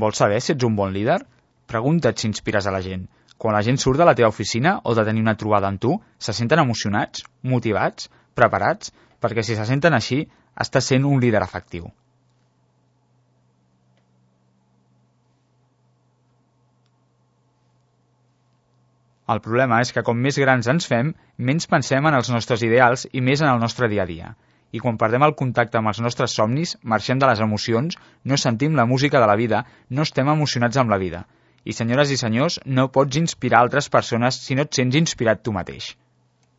Vols saber si ets un bon líder? Pregunta't si inspires a la gent. Quan la gent surt de la teva oficina o de tenir una trobada amb tu, se senten emocionats, motivats, preparats? Perquè si se senten així, estàs sent un líder efectiu. El problema és que com més grans ens fem, menys pensem en els nostres ideals i més en el nostre dia a dia. I quan perdem el contacte amb els nostres somnis, marxem de les emocions, no sentim la música de la vida, no estem emocionats amb la vida. I senyores i senyors, no pots inspirar altres persones si no et sents inspirat tu mateix.